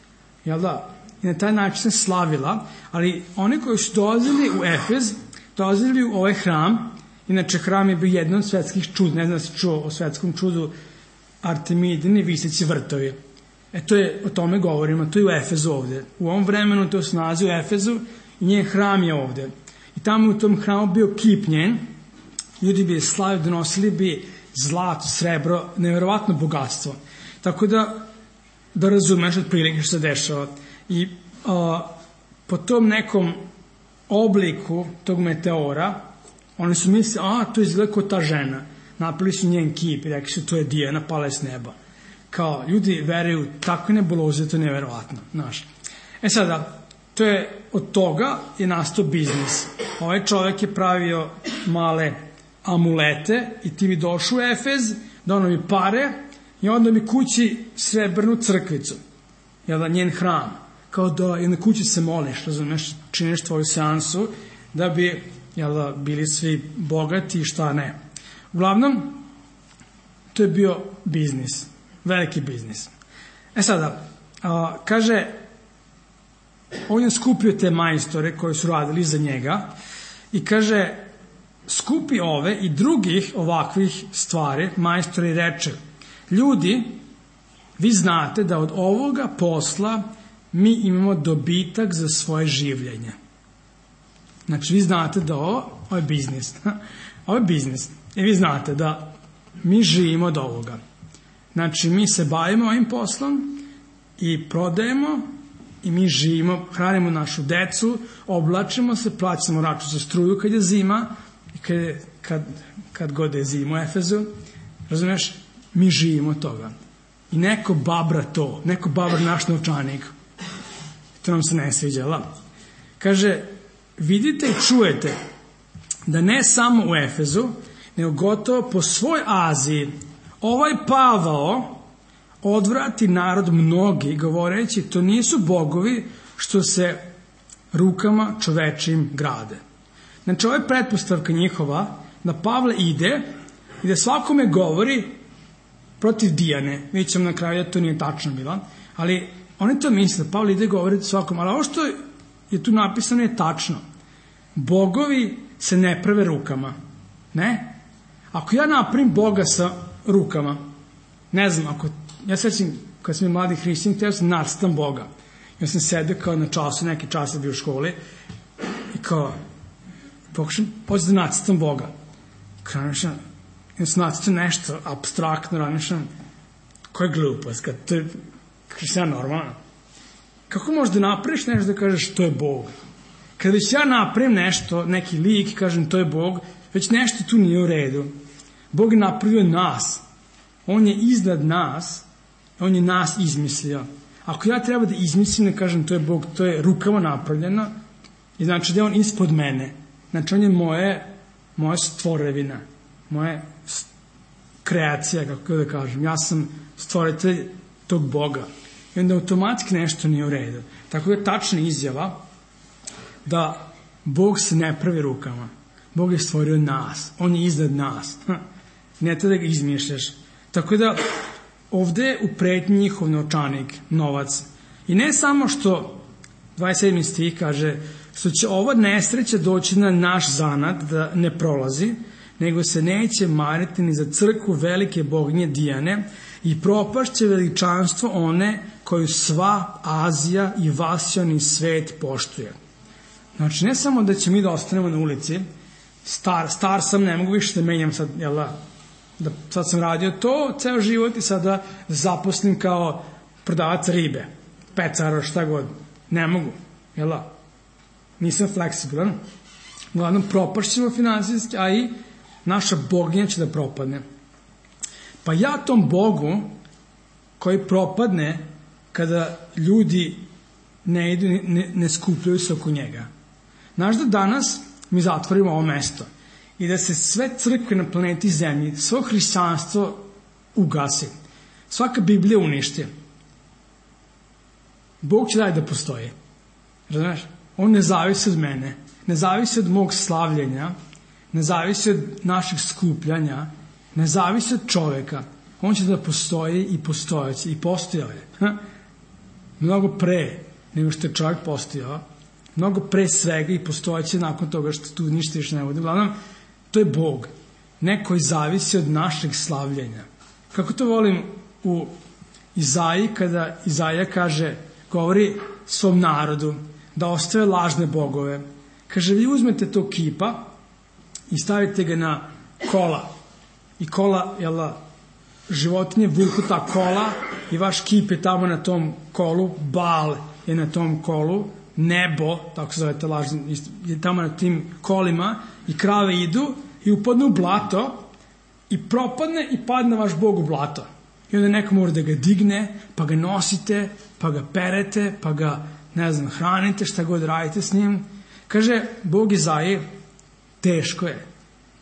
jel da? I na taj način se slavila, ali oni koji su dolazili u Efez, dolazili u ovaj hram. Inače, hram je bio jedno od svetskih čuda, ne znam da se čuo o svetskom čudu Artemidini viseći vrtovi. E to je, o tome govorimo, to je u Efezu ovde. U ovom vremenu to se nalazi u Efezu i njen hram je ovde. I tamo u tom hramu bio kip njen, ljudi bi je slavili, donosili bi zlato, srebro, neverovatno bogatstvo. Tako da, da razumeš otprilike što se dešava. I a, po tom nekom obliku tog meteora, oni su mislili, a, to izgleda kao ta žena. Napili su njen kip i rekli su, to je Dijana, pala je s neba. Kao, ljudi veruju takve nebuloze, to je neverovatno. Znaš. E sada, to je, od toga je nastao biznis. Ovaj čovjek je pravio male amulete i ti bi došao u Efez, donao mi pare i onda mi kući srebrnu crkvicu. Jel da, njen hram. Kao da i na kući se moliš, razumeš, činiš tvoju seansu, da bi, jel da, bili svi bogati i šta ne. Uglavnom, to je bio biznis. Veliki biznis. E sada, a, kaže, on je skupio te majstore koji su radili za njega i kaže, skupi ove i drugih ovakvih stvari, majstori i reče, ljudi, vi znate da od ovoga posla mi imamo dobitak za svoje življenje. Znači, vi znate da ovo, ovo je biznis. Ovo je biznis. I vi znate da mi živimo od ovoga. Znači, mi se bavimo ovim poslom i prodajemo i mi živimo, hranimo našu decu, oblačimo se, plaćamo račun za struju kad je zima i kad je kad, kad god je zima u Efezu, razumiješ, mi živimo od toga. I neko babra to, neko babra naš novčanik. To nam se ne sviđa, la? Kaže, vidite i čujete da ne samo u Efezu, nego gotovo po svoj Aziji ovaj Pavao odvrati narod mnogi, govoreći, to nisu bogovi što se rukama čovečim grade. Znači, ovo je pretpostavka njihova da Pavle ide i da svakome govori protiv Dijane. Vidjet ćemo na kraju da to nije tačno bilo, ali oni to misle, Pavle ide govoriti svakom, ali ovo što je tu napisano je tačno. Bogovi se ne prave rukama. Ne? Ako ja napravim Boga sa rukama, ne znam, ako, ja sećam kad sam je mladi hrišćan, htio sam nacrtam Boga. Ja sam sedeo kao na času, neki čas je bio u školi i kao, pokušam, hoću da nacrtam Boga. Kranašam, ja sam nacrtam nešto apstraktno, ranišam, koja je glupost, kad to je, kada sam ja normalno. Kako možeš da napraviš nešto da kažeš to je Bog? Kada već ja napravim nešto, neki lik i kažem to je Bog, već nešto tu nije u redu. Bog je napravio nas. On je iznad nas. On je nas izmislio. Ako ja treba da izmislim, ne kažem to je Bog, to je rukama napravljeno, i znači da je on ispod mene. Znači on je moje, moja stvorevina, moja kreacija, kako da kažem. Ja sam stvoritelj tog Boga. I onda automatski nešto nije u redu. Tako je tačna izjava da Bog se ne pravi rukama. Bog je stvorio nas. On je iznad nas. Ne to da ga izmišljaš. Tako da ovde je u pretnji njihov novčanik, novac. I ne samo što dvadeset sedmi stih kaže što će ova nesreća doći na naš zanat da ne prolazi, nego se neće mariti ni za crkvu velike boginje Dijane i propašće veličanstvo one koju sva Azija i vasioni svet poštuje. Znači, ne samo da će mi da ostanemo na ulici, star, star sam, ne mogu više da menjam sad, jel da, da sad sam radio to ceo život i sada zaposlim kao prodavac ribe, pecara, šta god. Ne mogu, jel da? Nisam fleksibilan. Uglavnom, propašćemo finansijski, a i naša boginja će da propadne. Pa ja tom Bogu koji propadne kada ljudi ne idu, ne, ne skupljaju se oko njega. Znaš da danas mi zatvorimo ovo mesto i da se sve crkve na planeti Zemlji, svo hrišćanstvo ugasi, svaka Biblija uništi. Bog će dalje da postoji. Razumeš? On ne zavisi od mene, ne zavisi od mog slavljenja, ne zavisi od naših skupljanja, ne zavisi od čoveka. On će da postoji i postojaće i postojao je. Ha? Mnogo pre nego što je čovjek postojao, mnogo pre svega i postojaće nakon toga što tu ništa više ne bude. Uglavnom, to je Bog. Neko koji zavisi od našeg slavljenja. Kako to volim u Izaiji, kada Izaija kaže, govori svom narodu da ostave lažne bogove. Kaže, vi uzmete to kipa i stavite ga na kola. I kola, jel, životinje vuku ta kola i vaš kip je tamo na tom kolu, Baal je na tom kolu, nebo, tako se zove ta lažna, je tamo na tim kolima i krave idu i upadnu u blato i propadne i padne vaš Bog u blato. I onda neko mora da ga digne, pa ga nosite, pa ga perete, pa ga, ne znam, hranite, šta god radite s njim. Kaže, Bog Izaiji, teško je.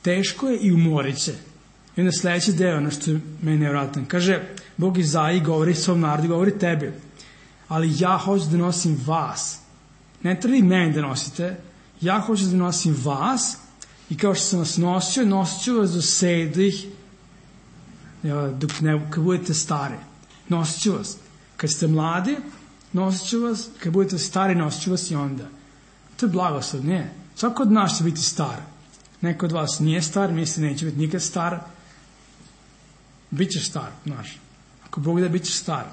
Teško je i umorit će. I onda sledeći deo, ono što je meni nevratno. Kaže, Bog Izaiji govori svom narodu, govori tebi. Ali ja hoću da nosim vas. Ne treba i meni da nosite. Ja hoću da nosim vas i kao što sam vas nosio, nosit ću vas do sedlih, dok ne, kad budete stari. Nosit ću vas. Kad ste mladi, nosit ću vas. Kad budete stari, nosit ću vas i onda. To je blagoslov, nije. Svako od nas će biti star. Neko od vas nije star, misli neće biti nikad star. Bićeš star, znaš. Ako Bog da, bićeš star.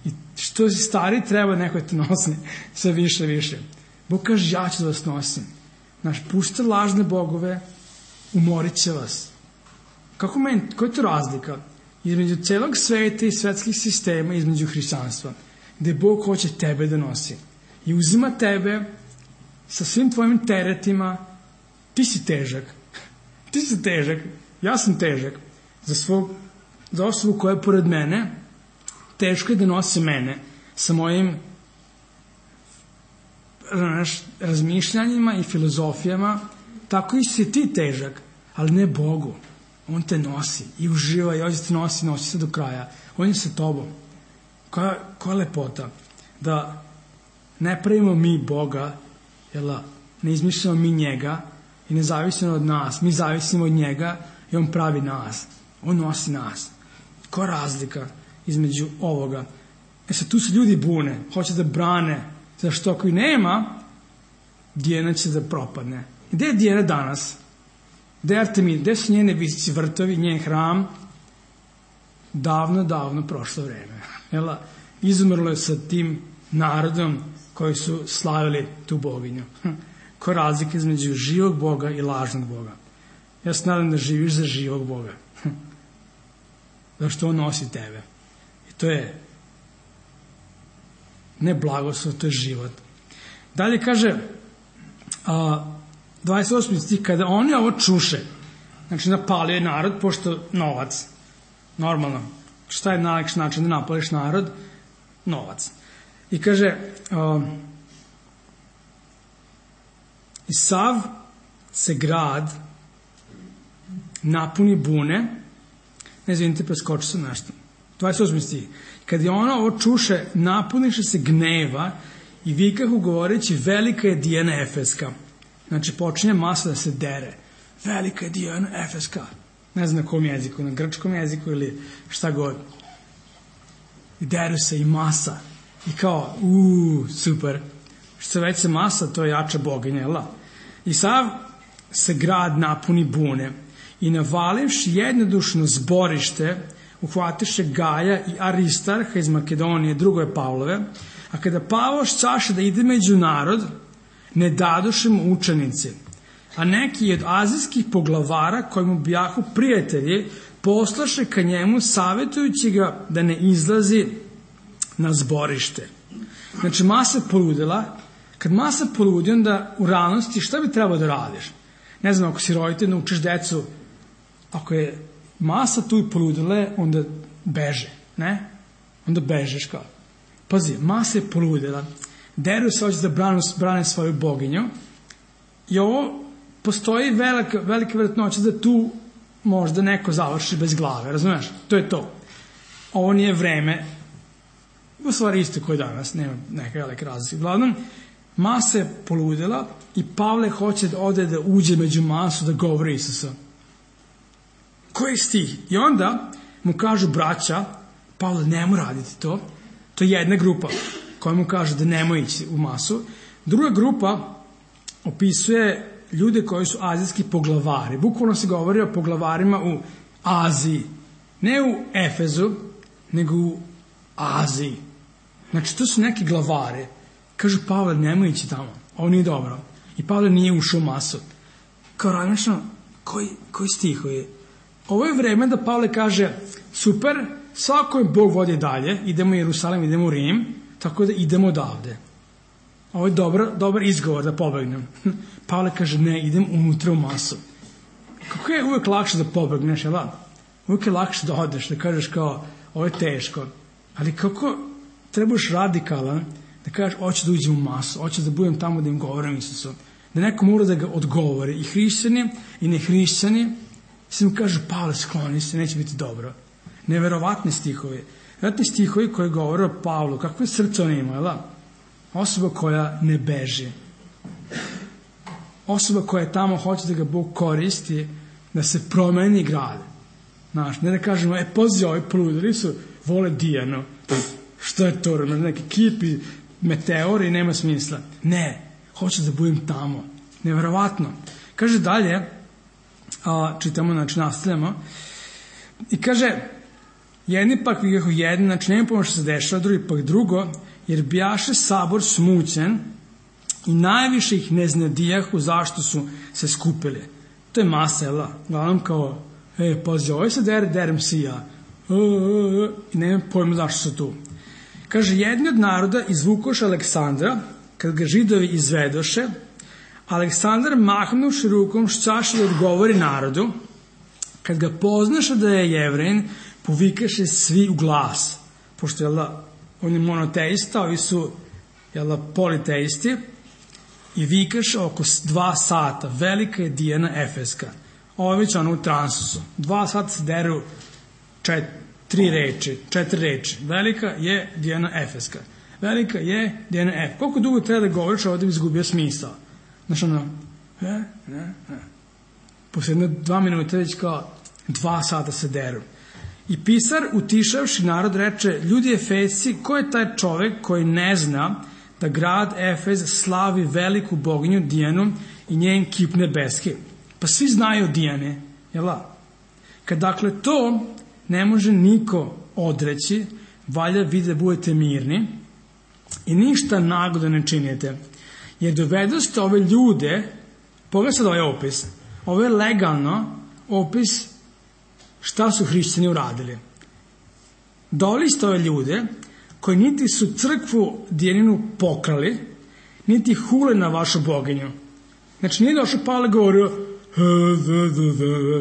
I što si stari, treba neko te nosi sve više, više. Bog kaže, ja ću da vas nosim. Znaš, pušte lažne bogove, umorit će vas. Kako meni, koja je to razlika? Između celog sveta i svetskih sistema, između hrišćanstva, gde Bog hoće tebe da nosi. I uzima tebe sa svim tvojim teretima, ti si težak. ti si težak, ja sam težak. Za, svog, za osobu koja je pored mene, teško je da nosi mene sa mojim razmišljanjima i filozofijama. Tako i si ti težak, ali ne Bogu. On te nosi i uživa i hoće te nosi, nosi se do kraja. On je sa tobom. Koja, koja lepota da ne pravimo mi Boga, jel, ne izmišljamo mi njega i ne zavisimo od nas. Mi zavisimo od njega i on pravi nas. On nosi nas. Koja razlika između ovoga? E sad, tu se ljudi bune, hoće da brane, zašto ako i nema, Dijana će da propadne. Gde je Dijana danas? Gde je Artemida? Gde su njene visici vrtovi, njen hram? Davno, davno prošlo vreme. Jel? Izumrlo je sa tim narodom koji su slavili tu boginju. Koja razlika između živog Boga i lažnog Boga? Ja se nadam da živiš za živog Boga. Zašto on nosi tebe. I to je ne blagoslov, to je život. Dalje kaže a, dvadeset osmi stih, kada oni ovo čuše, znači napalio je narod, pošto novac, normalno, šta je najlakši način da napališ narod? Novac. I kaže a, i sav se grad napuni bune, ne izvinite, preskočio sam nešto. dvadeset osmi stih. Kad je ona ovo čuše, napuniše se gneva i vikahu govoreći, velika je Dijana Efeska. Znači, počinje masa da se dere. Velika je Dijana Efeska. Ne znam na kom jeziku, na grčkom jeziku ili šta god. I deru se i masa. I kao, uuu, super. Što već se masa, to je jača boginja, jel? I sav se grad napuni bune i navalivši jednodušno zborište, uhvatiše Gaja i Aristarha iz Makedonije, drugo je Pavlove, a kada Pavlo šćaše da ide među narod, ne dadoše mu učenici. A neki od azijskih poglavara, koji mu bijahu prijatelji, poslaše ka njemu, savjetujući ga da ne izlazi na zborište. Znači, masa poludela. Kad masa poludi, onda u realnosti šta bi trebalo da radiš? Ne znam, ako si roditelj, naučiš decu, ako je masa tu i poludele, onda beže, ne? Onda bežeš kao. Pazi, masa je poludela, deru se, hoće da brane, brane svoju boginju i ovo postoji velika, velika vjerojatnoća da tu možda neko završi bez glave, razumiješ? To je to. Ovo nije vreme, u stvari isto koji danas, nema neka velika razlika. Uglavnom, masa je poludela i Pavle hoće da ode da uđe među masu da govori Isusa. Koji stih? I onda mu kažu braća, Pavle, nemoj raditi to. To je jedna grupa koja mu kaže da nemoj ići u masu. Druga grupa opisuje ljude koji su azijski poglavari. Bukvalno se govori o poglavarima u Aziji. Ne u Efezu, nego u Aziji. Znači, to su neki glavari. Kažu, Pavle, nemoj ići tamo. Ovo nije dobro. I Pavle nije ušao u masu. Kao razmišljam, koji, koji stih je? Ovo je vreme da Pavle kaže, super, svako je Bog vodi dalje, idemo u Jerusalim, idemo u Rim, tako da idemo odavde. Ovo je dobar, dobar izgovor da pobegnem. Pavle kaže, ne, idem unutra u masu. Kako je uvek lakše da pobegneš, jel? Uvek je lakše da odeš, da kažeš kao, ovo je teško. Ali kako trebaš radikalan, da kažeš, hoću da uđem u masu, hoću da budem tamo da im govorim Isusu. Da neko mora da ga odgovori. I hrišćani, i nehrišćani, se mu kažu, Pavle, skloni se, neće biti dobro. Neverovatni stihovi. Vjerojatni stihovi koji govore o Pavlu. Kakve srce on ima, jel? Osoba koja ne beži. Osoba koja je tamo, hoće da ga Bog koristi, da se promeni grad. Znaš, ne da kažemo, e, pazi, ovi poludeli su, vole Dijanu. Što je to? Neki kipi, meteori, nema smisla. Ne, hoće da budem tamo. Neverovatno. Kaže dalje, a, čitamo, znači nastavljamo, i kaže, jedni pak vikahu jedni, znači nema pomoć što se dešava, drugi pak drugo, jer bijaše sabor smućen i najviše ih ne znadijahu zašto su se skupili. To je masa, jel? Uglavnom kao, e, pazi, ovo se dere, derem si ja. E, e, e, i nema pojma zašto su tu. Kaže, jedni od naroda izvukoše Aleksandra, kad ga Židovi izvedoše, Aleksandar mahnuvši rukom šćaše da odgovori narodu, kad ga poznaše da je Jevrein, povikaše svi u glas, pošto je da, on je monoteista, ovi su je da, politeisti, i vikaše oko dva sata, velika je Dijana Efeska. Ovo je već ono u transusu. Dva sata se deru čet, tri reči, četiri reči. Velika je Dijana Efeska. Velika je Dijana Efeska. Koliko dugo treba da govoriš, ovdje bi izgubio smisao. Znaš ono, ne, ne, ne. Posle jedno dva minuta već kao dva sata se deru. I pisar, utišavši narod, reče, ljudi Efesci, ko je taj čovek koji ne zna da grad Efez slavi veliku boginju Dijanu i njen kip nebeski? Pa svi znaju Dijane, jel da? Kad dakle to ne može niko odreći, valja vi da budete mirni i ništa nago da ne činite. Jer dovedoste ove ljude, pogledaj sad ovaj opis, ovo je legalno opis šta su hrišćani uradili. Doveli ste ove ljude koji niti su crkvu Dijaninu pokrali, niti hule na vašu boginju. Znači nije došao Pavle govorio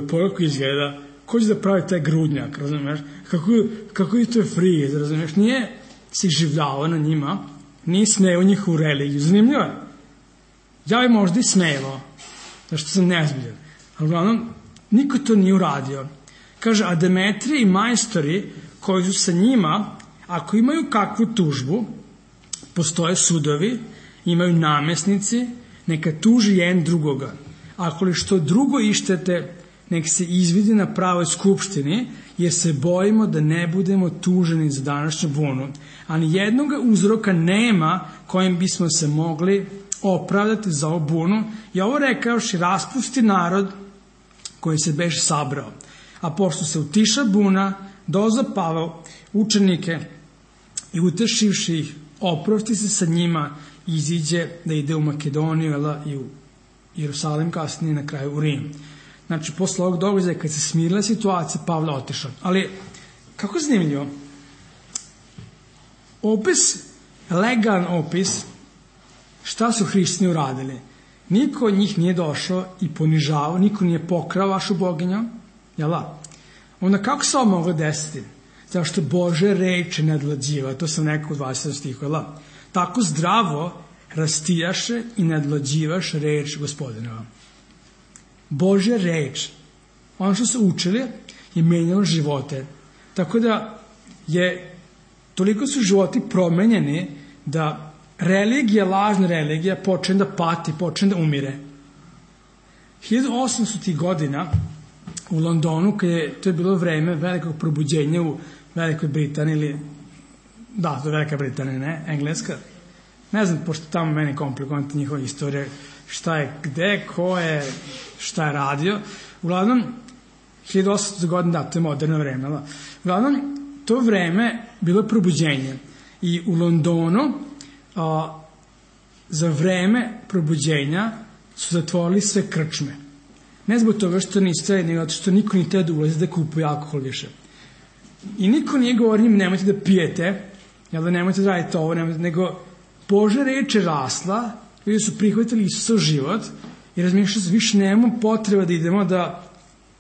pogledaj izgleda, ko će da pravi taj grudnjak, razumiješ? Kako, kako je to friz, razumiješ? Nije se življavao na njima, nije smeo njihovu religiju. Zanimljivo je. Ja bi možda i smelo, zašto sam nezbiljan. Ali uglavnom, niko to nije uradio. Kaže, a Demetrije i majstori koji su sa njima, ako imaju kakvu tužbu, postoje sudovi, imaju namesnici, neka tuži jedan drugoga. Ako li što drugo ištete, nek se izvidi na pravoj skupštini, jer se bojimo da ne budemo tuženi za današnju bunu. Ali jednog uzroka nema kojim bismo se mogli opravdati za ovu bunu. I ovo rekaoši, raspusti narod koji se beše sabrao. A pošto se utiša buna, dozapavao učenike i utešivši ih, oprosti se sa njima i iziđe da ide u Makedoniju i u Jerusalim, kasnije na kraju u Rim. Znači, posle ovog događaja, kad se smirila situacija, Pavle otišao. Ali, kako je zanimljivo? Opis, legalan opis, šta su hrišćani uradili? Niko od njih nije došao i ponižavao, niko nije pokrao vašu boginju, jel da? Onda kako se ovo moglo desiti? Zašto Bože reče nadlađiva, to sam rekao u dvadesetom stihu, jel da? Tako zdravo rastijaše i nadlađivaš reč Gospodinova. Božja reč, ono što su učili, je menjalo živote. Tako da je, toliko su životi promenjeni da religija, lažna religija, počne da pati, počne da umire. hiljadu osamstotih godina u Londonu, kad je, to je bilo vreme velikog probuđenja u Velikoj Britaniji, ili, da, to je Velika Britanija, ne, Engleska. Ne znam, pošto tamo meni komplikovanta njihova istorija, šta je, gde, ko je, šta je radio. Uglavnom, hiljadu osamstotih godina, da, to je moderno vreme. Da. Uglavnom, to vreme bilo je probuđenje. I u Londonu, a, za vreme probuđenja su zatvorili sve krčme. Ne zbog toga što niste, nego što niko nije teo da ulazi da kupuje alkohol više. I niko nije govorio njim, nemojte da pijete, jel da nemojte da radite ovo, nemojte, nego Božja reč je rasla, ljudi su prihvatili Isusa u život i razmišljali su, više nemamo potreba da idemo da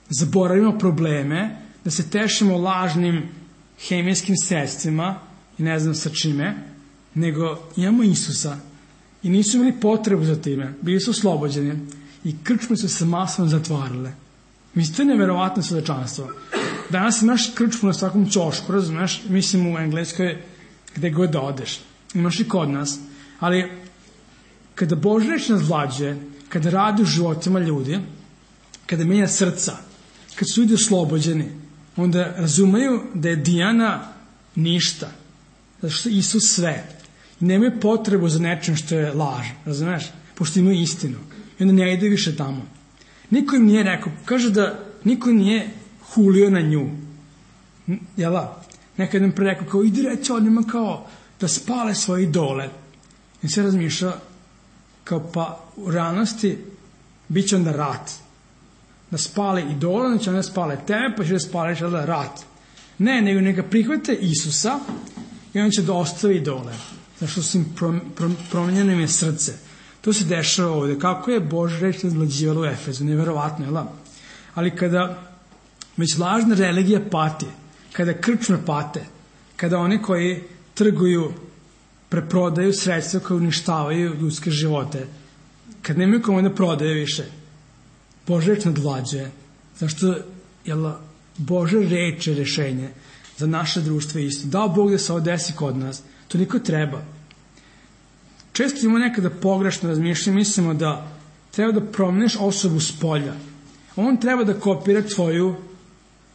zaboravimo probleme, da se tešimo lažnim hemijskim sredstvima i ne znam sa čime, nego imamo Isusa i nisu imali potrebu za time, bili su oslobođeni i krčme su se masno zatvarale. Mislim, to je neverovatno svedočanstvo. Danas imaš krčmu na svakom ćošku, razumeš, mislim u Engleskoj gde god da odeš. Imaš i kod nas. Ali kada Božja reč nas vlađe, kada radi u životima ljudi, kada menja srca, kad su ljudi oslobođeni, onda razumeju da je Dijana ništa, zato što je Isus sve. I nemaju potrebu za nečem što je laž, razumeš? Pošto imaju istinu. I onda ne ide više tamo. Niko im nije rekao, kaže da niko nije hulio na nju. Jel da? Nekad im pre rekao, kao idi reći onima kao da spale svoje idole. I se razmišlja kao pa u realnosti bit će onda rat. Da spale idole, onda će onda spale tebe, pa će da spale će onda rat. Ne, nego neka prihvate Isusa i on će da ostavi idole. Zato što su im promenjeno im je srce. To se dešava ovde. Kako je Božja reč nadvlađivala u Efezu? Neverovatno, jel? Ali kada već lažna religija pati, kada krčme pate, kada oni koji trguju, preprodaju sredstva koje uništavaju ljudske živote, kad nemaju kome da prodaju više, Božja reč nadvlađuje. Zašto? Jel, Božja reč je rešenje za naše društvo isto. Dao Bog da se ovo desi kod nas. To niko treba. Često imamo nekada pogrešno razmišljanje, mislimo da treba da promeniš osobu s polja. On treba da kopira tvoju,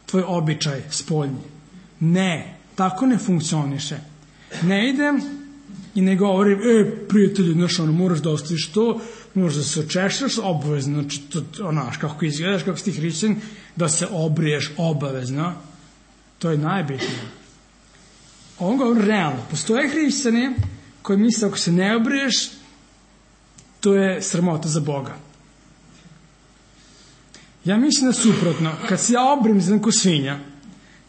tvoj običaj spoljni. Ne, tako ne funkcioniše. Ne idem i ne govorim, e, prijatelju, znaš, ono, moraš da ostaviš to, moraš da se očešaš, obavezno, znači, to, onaš, kako izgledaš, kako si ti hrišćan, da se obriješ obavezno. To je najbitnije. On govori realno. Postoje hrišćani koji misle, ako se ne obriješ, to je sramota za Boga. Ja mislim da suprotno. Kad se ja obrijem, znam ko svinja,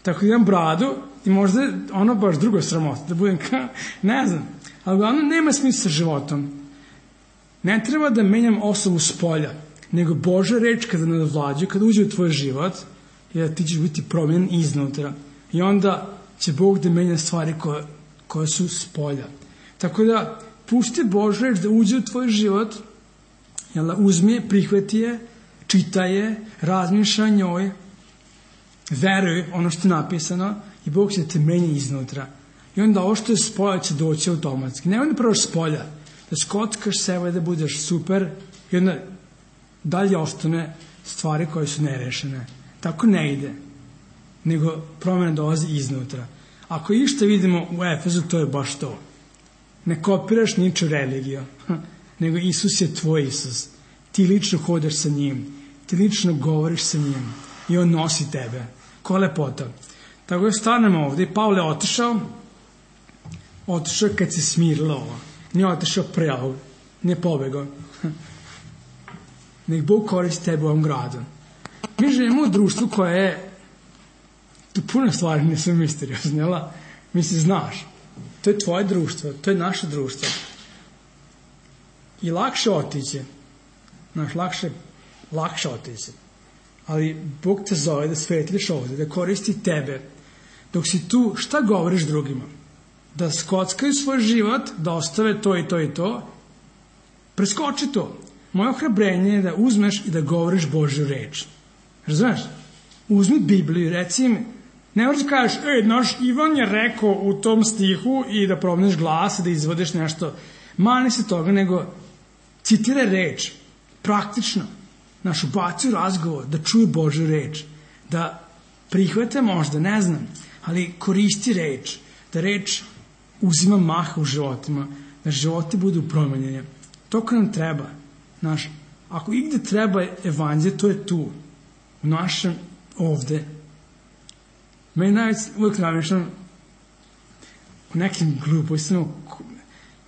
tako da imam bradu i možda je ono baš drugo sramota, da budem ka, ne znam, ali uglavnom nema smisla sa životom. Ne treba da menjam osobu s polja, nego Božja reč kada nadvlađuje, kada uđe u tvoj život, je da ti ćeš biti promijenjen iznutra. I onda će Bog da menja stvari koje, koje su s polja. Tako da, pusti Božju reč da uđe u tvoj život, jel, uzmi je, prihvati je, čitaj je, razmišlja o njoj, veruj ono što je napisano i Bog će te menja iznutra. I onda ovo što je s polja će doći automatski. Ne onda proš s polja, da skotkaš sebe, da budeš super i onda dalje ostane stvari koje su nerešene. Tako ne ide, nego promjena dolazi iznutra. Ako išta vidimo u Efezu, to je baš to. Ne kopiraš niču religiju, nego Isus je tvoj Isus. Ti lično hodaš sa njim, ti lično govoriš sa njim i on nosi tebe. Ko lepota. Tako da stanemo ovdje i Pavle je otišao, otišao kad se smirilo ovo. Nije otišao pre ovog, nije pobegao. Nek Bog koristi tebe u ovom gradu. Mi živimo u društvu koje je, tu puno stvari nisu misteriozne, jel? Misli, znaš, to je tvoje društvo, to je naše društvo. I lakše otići, znaš, lakše, lakše otići. Ali Bog te zove da svetliš ovdje, da koristi tebe. Dok si tu, šta govoriš drugima? Da skockaju svoj život, da ostave to i to i to. Preskoči to. Moje ohrabrenje je da uzmeš i da govoriš Božju reč. Razumeš? Uzmi Bibliju i reci im, ne možeš da kažeš, ej, naš Ivan je rekao u tom stihu i da promeniš glas, da izvodiš nešto. Mani se toga, nego citiraj reč. Praktično. Naš ubaci u razgovor, da čuju Božju reč. Da prihvate možda, ne znam, ali koristi reč. Da reč uzima maha u životima. Da životi budu promenjeni. To ko nam treba. Naš, ako igde treba evanđelje, to je tu. U našem ovde. Meni najveći uvijek namišljam u nekim glupostima.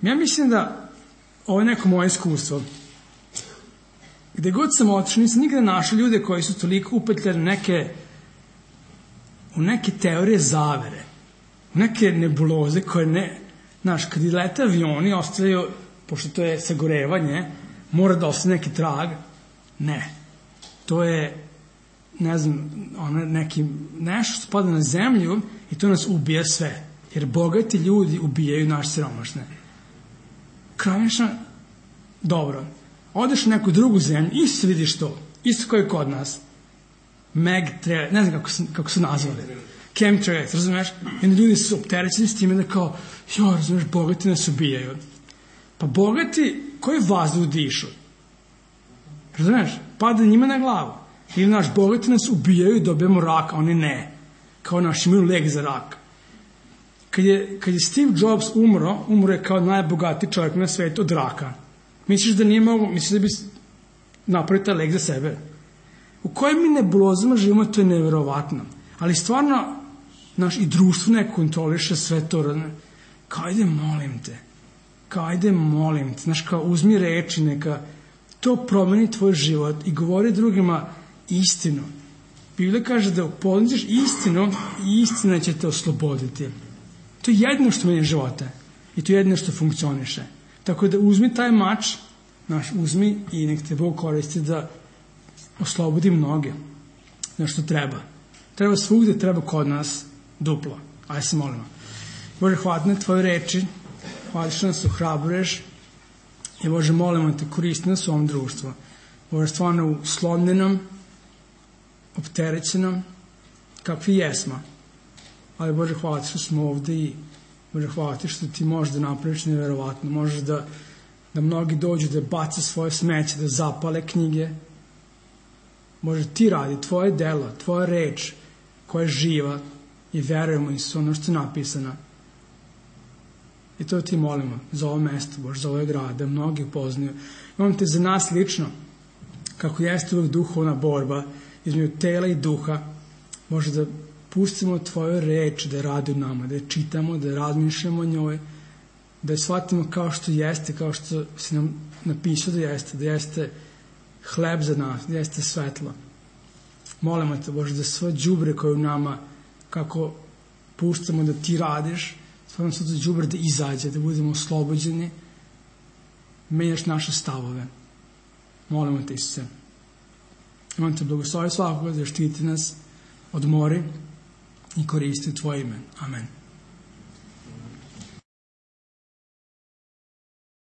Ja mislim da ovo je neko moje iskustvo. Gde god sam otišao, nisam nikada našao ljude koji su toliko upetljali neke, u neke teorije zavere, u neke nebuloze koje ne, znaš, kad i lete avioni ostavljaju, pošto to je sagorevanje, mora da ostane neki trag. Ne. To je, ne znam, ono neki, nešto što spada na zemlju i to nas ubija sve. Jer bogati ljudi ubijaju naš siromašne. Krajnješno, dobro. Odeš u neku drugu zemlju, isto vidiš to. Isto kao i kod nas. Meg, tre, ne znam kako su, kako su nazvali. Chemtrails, razumeš? I onda ljudi su opterećeni s time da kao, jo, razumeš, bogati nas ubijaju. Pa bogati, koji vazduh dišu? Razumeš? Pada njima na glavu. Ili naš bogati nas ubijaju i dobijemo rak, a oni ne. Kao naš imaju lek za rak. Kad je, kad je Steve Jobs umro, umro je kao najbogatiji čovjek na svijetu od raka. Misliš da nije mogo, misliš da bi napravio taj lek za sebe? U kojim mi nebulozama živimo, to je neverovatno. Ali stvarno, naš i društvo ne kontroliše sve to. Kao, ajde, molim te. Kao, ajde, molim te. Znaš, kao, uzmi reči, neka to promeni tvoj život i govori drugima istinu. Biblija kaže da upoznaš istinu i istina će te osloboditi. To je jedino što menja života. I to je jedino što funkcioniše. Tako da uzmi taj mač, Naš, uzmi i nek te Bog koristi da oslobodi mnoge. Nešto treba. Treba svugde, treba kod nas duplo. Ajde se molimo. Bože, hvala na tvoje reči, hvala što nas ohrabruješ i Bože, molimo te, koristi nas u ovom društvu. Bože, stvarno uslomljenom, opterećenom, kakvi jesmo. Ali Bože, hvala ti što smo ovde i Bože, hvala ti što ti možeš da napraviš nevjerovatno. Možeš da, da mnogi dođu da bace svoje smeće, da zapale knjige. Bože, ti radi, tvoje delo, tvoja reč koja je živa i verujemo i su ono što je napisano. I to ti molimo za ovo mesto, Bože, za ovaj grad, da mnogi upoznaju. Imam te za nas lično, kako jeste uvek duhovna borba između tela i duha, Bože, da pustimo tvoju reč da radi u nama, da je čitamo, da razmišljamo o njoj, da je shvatimo kao što jeste, kao što si nam napisao da jeste, da jeste hleb za nas, da jeste svetlo. Molimo te, Bože, da sve đubre koje u nama, kako puštamo da ti radiš, stvarno sve to đubre da izađe, da budemo oslobođeni, menjaš naše stavove. Molimo te, Isuse. Imam te blagoslovi svakoga da štiti nas od mori i koristi u tvoje ime. Amen.